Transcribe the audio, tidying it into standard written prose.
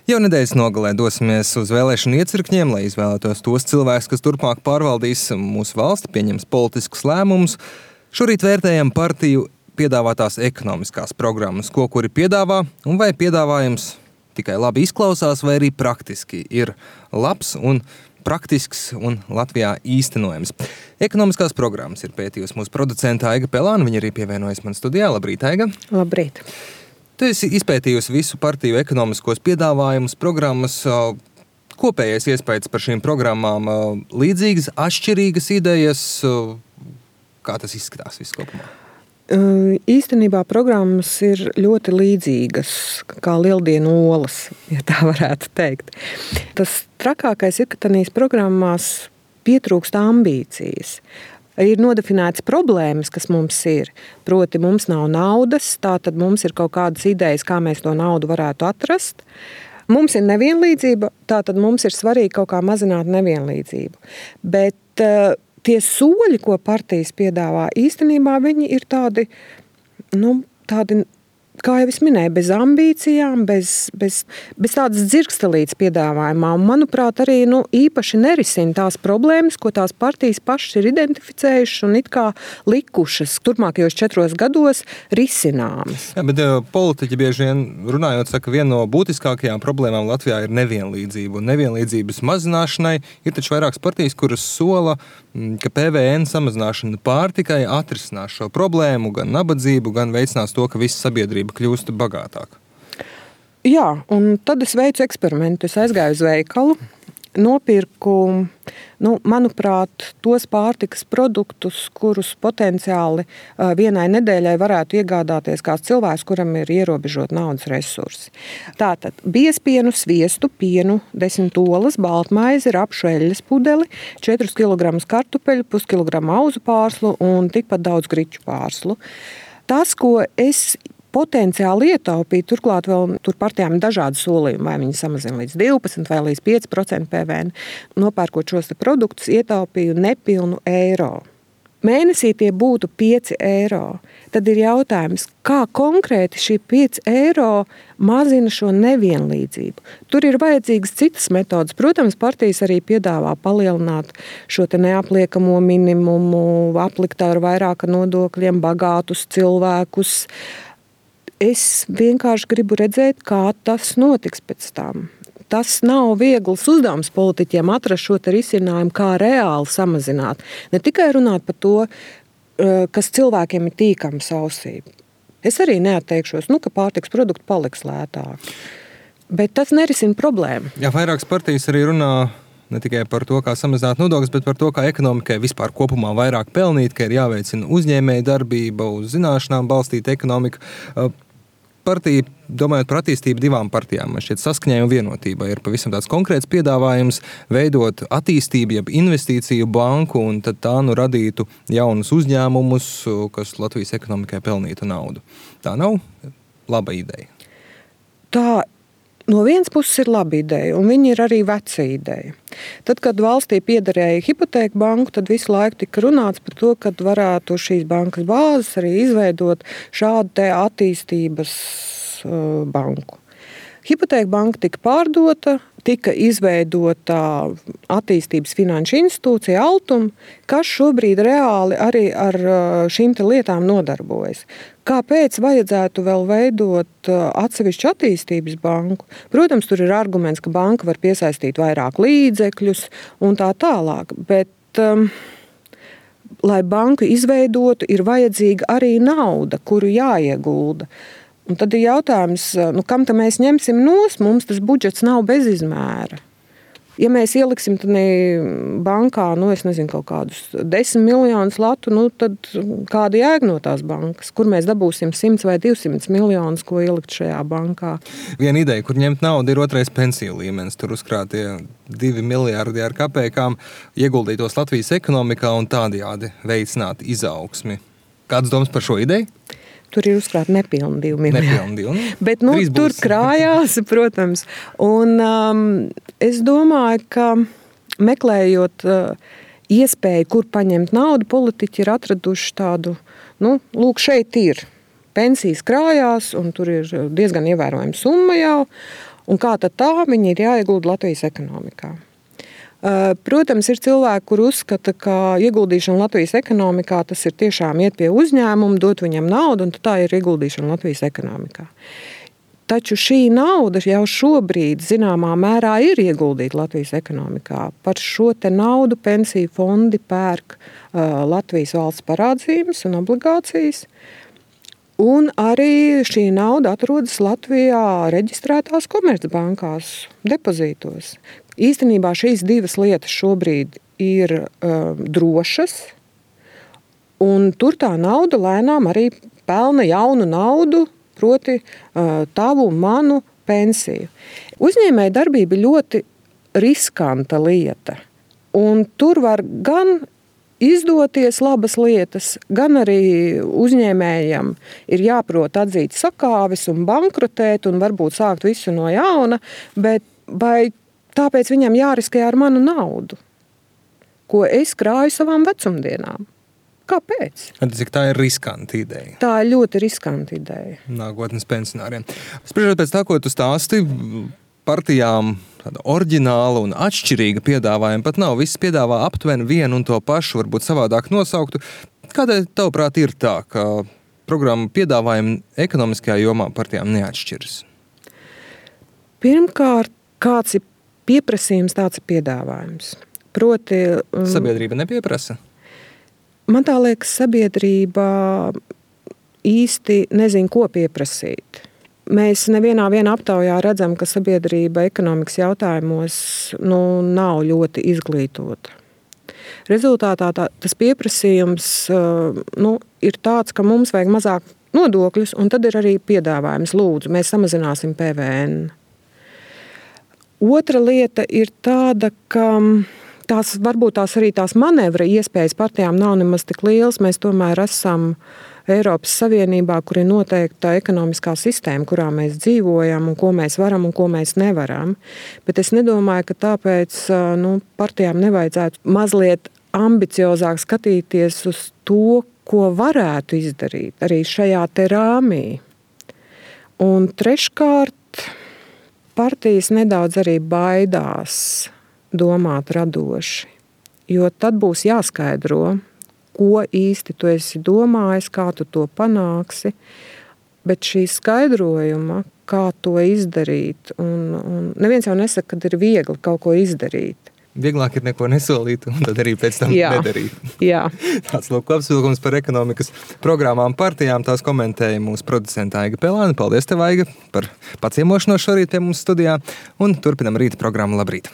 Jau nedēļas nogalē dosimies uz vēlēšanu iecirkņiem, lai izvēlētos tos cilvēkus, kas turpmāk pārvaldīs mūsu valsti, pieņems politiskus lēmumus. Šorīt vērtējam partiju piedāvātās ekonomiskās programmas, ko kuri piedāvā, un vai piedāvājums tikai labi izklausās, vai arī praktiski ir labs un praktisks un Latvijā īstenojams. Ekonomiskās programmas ir pētījusi mūsu producenta Aiga Pelāna, viņa arī pievienojas man studijā. Labrīt, Aiga! Labrīt! Tu esi izpētījusi visu partiju ekonomiskos piedāvājumus, programmas. Kopējais iespējas par šīm programmām līdzīgas, atšķirīgas idejas. Kā tas izskatās viss kopumā? Īstenībā programmas ir ļoti līdzīgas, kā lieldienu olas, ja tā varētu teikt. Tas trakākais ir, ka tādās programmās pietrūkst ambīcijas. Ir nodefinētas problēmas, kas mums ir. Proti, mums nav naudas, tātad mums ir kaut kādas idejas, kā mēs to naudu varētu atrast. Mums ir nevienlīdzība, tātad mums ir svarīgi kaut kā mazināt nevienlīdzību. Bet tie soļi, ko partijas piedāvā, īstenībā viņi ir tādi, kā jau es minēju, bez ambīcijām, bez tādas dzirkstelītes piedāvājumā. Un, manuprāt, arī īpaši nerisina tās problēmas, ko tās partijas pašas ir identificējušas un it kā likušas turpmākajos 4 gados risināmas. Jā, bet politiķi bieži vien runājot, saka, viena no būtiskākajām problēmām Latvijā ir nevienlīdzība. Un nevienlīdzības mazināšanai ir taču vairākas partijas, kuras sola, ka PVN samazināšana pārtikai atrisinās šo problēmu, gan nabadzību, gan veicinās to, ka visa sabiedrība kļūst bagātāka. Jā, un tad es veicu eksperimentu. Es aizgāju uz veikalu, nopirku, manuprāt, tos pārtikas produktus, kurus potenciāli vienai nedēļai varētu iegādāties kāds cilvēks, kuram ir ierobežot naudas resursi. Tātad biezpienu, sviestu, pienu, 10 olas, baltmaizi, rapšu eļļas pudeli, 4 kg kartupeļu, puskilogramu auzu pārslu un tikpat daudz griķu pārslu. Tas, ko es potenciāli ietaupīja, turklāt vēl tur partijām ir dažādi solījumi, vai viņi samazina līdz 12 vai līdz 5% PVN. Nopērkot šos produktus, ietaupīju nepilnu eiro. Mēnesī tie būtu 5 eiro. Tad ir jautājums, kā konkrēti šī 5 eiro mazina šo nevienlīdzību. Tur ir vajadzīgas citas metodas. Protams, partijas arī piedāvā palielināt šo te neapliekamo minimumu, aplikt ar vairāk nodokļiem bagātus cilvēkus. Es vienkārši gribu redzēt, kā tas notiks pēc tam. Tas nav viegls uzdevums politiķiem atrast šo risinājumu, kā reāli samazināt. Ne tikai runāt par to, kas cilvēkiem ir tīkams ausī. Es arī neatteikšos, ka pārtikas produkti paliks lētāk. Bet tas nerisina problēmu. Jā, vairākas partijas arī runā ne tikai par to, kā samazināt nodokļus, bet par to, kā ekonomikai vispār kopumā vairāk pelnīt, ka ir jāveicina uzņēmēja darbība, uz zināšanām balstīta ekonomika. Partija, domājot par attīstību 2 partijām, man šķiet saskaņai un vienotībai ir pavisam tāds konkrēts piedāvājums veidot attīstību, jeb investīciju banku, un tad tā radītu jaunus uzņēmumus, kas Latvijas ekonomikai pelnītu naudu. Tā nav laba ideja? Tā no vienas puses ir laba ideja, un viņa ir arī veca ideja. Tad, kad valstī piederēja hipotēku banku, tad visu laiku tika runāts par to, ka varētu šīs bankas bāzes arī izveidot šādu te attīstības banku. Hipotēku banka tika pārdota, tika izveidota attīstības finanšu institūcija Altum, kas šobrīd reāli arī ar šīm te lietām nodarbojas. Kāpēc vajadzētu vēl veidot atsevišķu attīstības banku? Protams, tur ir arguments, ka banka var piesaistīt vairāk līdzekļus un tā tālāk, bet, lai banku izveidotu, ir vajadzīga arī nauda, kuru jāiegulda. Un tad ir jautājums, kam tad mēs ņemsim nost? Mums tas budžets nav bez izmēra. Ja mēs ieliksim bankā, es nezinu, kaut kādus 10 miljonus latu, tad kāda jēga no tās bankas? Kur mēs dabūsim 100 vai 200 miljonus, ko ielikt šajā bankā? Viena ideja, kur ņemt naudu, ir otrais pensiju līmenis. Tur uzkrātie 2 miljārdi ar kapekām ieguldītos Latvijas ekonomikā un tādējādi veicināt izaugsmi. Kādas domas par šo ideju? Tur ir uzkrāti nepilni 2 miljārdi. Bet tur būs. Krājās, protams. Un es domāju, ka meklējot iespēju, kur paņemt naudu, politiķi ir atraduši tādu, lūk, šeit ir. Pensijas krājās, un tur ir diezgan ievērojama summa jau. Un kā tad tā viņi ir jāiegulda Latvijas ekonomikā. Protams, ir cilvēki, kur uzskata, ka ieguldīšana Latvijas ekonomikā tas ir tiešām iet pie uzņēmuma, dot viņam naudu, un tā ir ieguldīšana Latvijas ekonomikā. Taču šī nauda jau šobrīd zināmā mērā ir ieguldīta Latvijas ekonomikā. Par šo te naudu pensiju fondi pērk Latvijas valsts parādzīmes un obligācijas. Un arī šī nauda atrodas Latvijā reģistrētās komercbankās, depozītos. Īstenībā šīs divas lietas šobrīd ir drošas, un tur tā nauda lēnām arī pelna jaunu naudu, proti tavu un manu pensiju. Uzņēmēja darbība ir ļoti riskanta lieta, un tur var gan izdoties labas lietas, gan arī uzņēmējam ir jāprot atzīt sakāves un bankrotēt un varbūt sākt visu no jauna, bet vai tāpēc viņam jāriskē ar manu naudu, ko es krāju savām vecumdienām? Kāpēc? Cik tā ir riskanta ideja? Tā ir ļoti riskanta ideja. Nākotnes pensionāriem. Spriežot pēc tā, ko tu stāsti, partijām tāda oriģināla un atšķirīga piedāvājuma pat nav. Visi piedāvā aptuveni vienu un to pašu, varbūt savādāk nosauktu. Kādēļ tavuprāt ir tā, ka programma piedāvājumi ekonomiskajā jomā partijām neatšķiras? Pirmkārt, kāds ir pieprasījums, tāds ir piedāvājums. Proti, sabiedrība nepieprasa? Man tā liekas, sabiedrība īsti nezin, ko pieprasīt. Mēs nevienā aptaujā redzam, ka sabiedrība ekonomikas jautājumos nav ļoti izglītota. Rezultātā tas pieprasījums ir tāds, ka mums vajag mazāk nodokļus, un tad ir arī piedāvājums. Lūdzu, mēs samazināsim PVN. Otra lieta ir tāda, ka varbūt tās manevra iespējas partijām nav nemaz tik lielas. Mēs tomēr esam Eiropas Savienībā, kur ir noteikta ekonomiskā sistēma, kurā mēs dzīvojam un ko mēs varam un ko mēs nevaram. Bet es nedomāju, ka tāpēc partijām nevajadzētu mazliet ambiciozāk skatīties uz to, ko varētu izdarīt arī šajā te rāmī. Un treškārt, partijas nedaudz arī baidās domāt radoši, jo tad būs jāskaidro, ko īsti tu esi domājis, kā tu to panāksi, bet šī skaidrojuma, kā to izdarīt, un neviens jau nesaka, ka ir viegli kaut ko izdarīt. Vieglāk ir neko nesolīt, un tad arī pēc tam nedarīt. Jā. Tāds kopsavilkums par ekonomikas programmām partijām, tās komentēja mūsu producenta Aiga Pelāne. Paldies tev, Aiga, par paciemošanos šorīt pie mums studijā, un turpinam rīta programmu. Labrīt!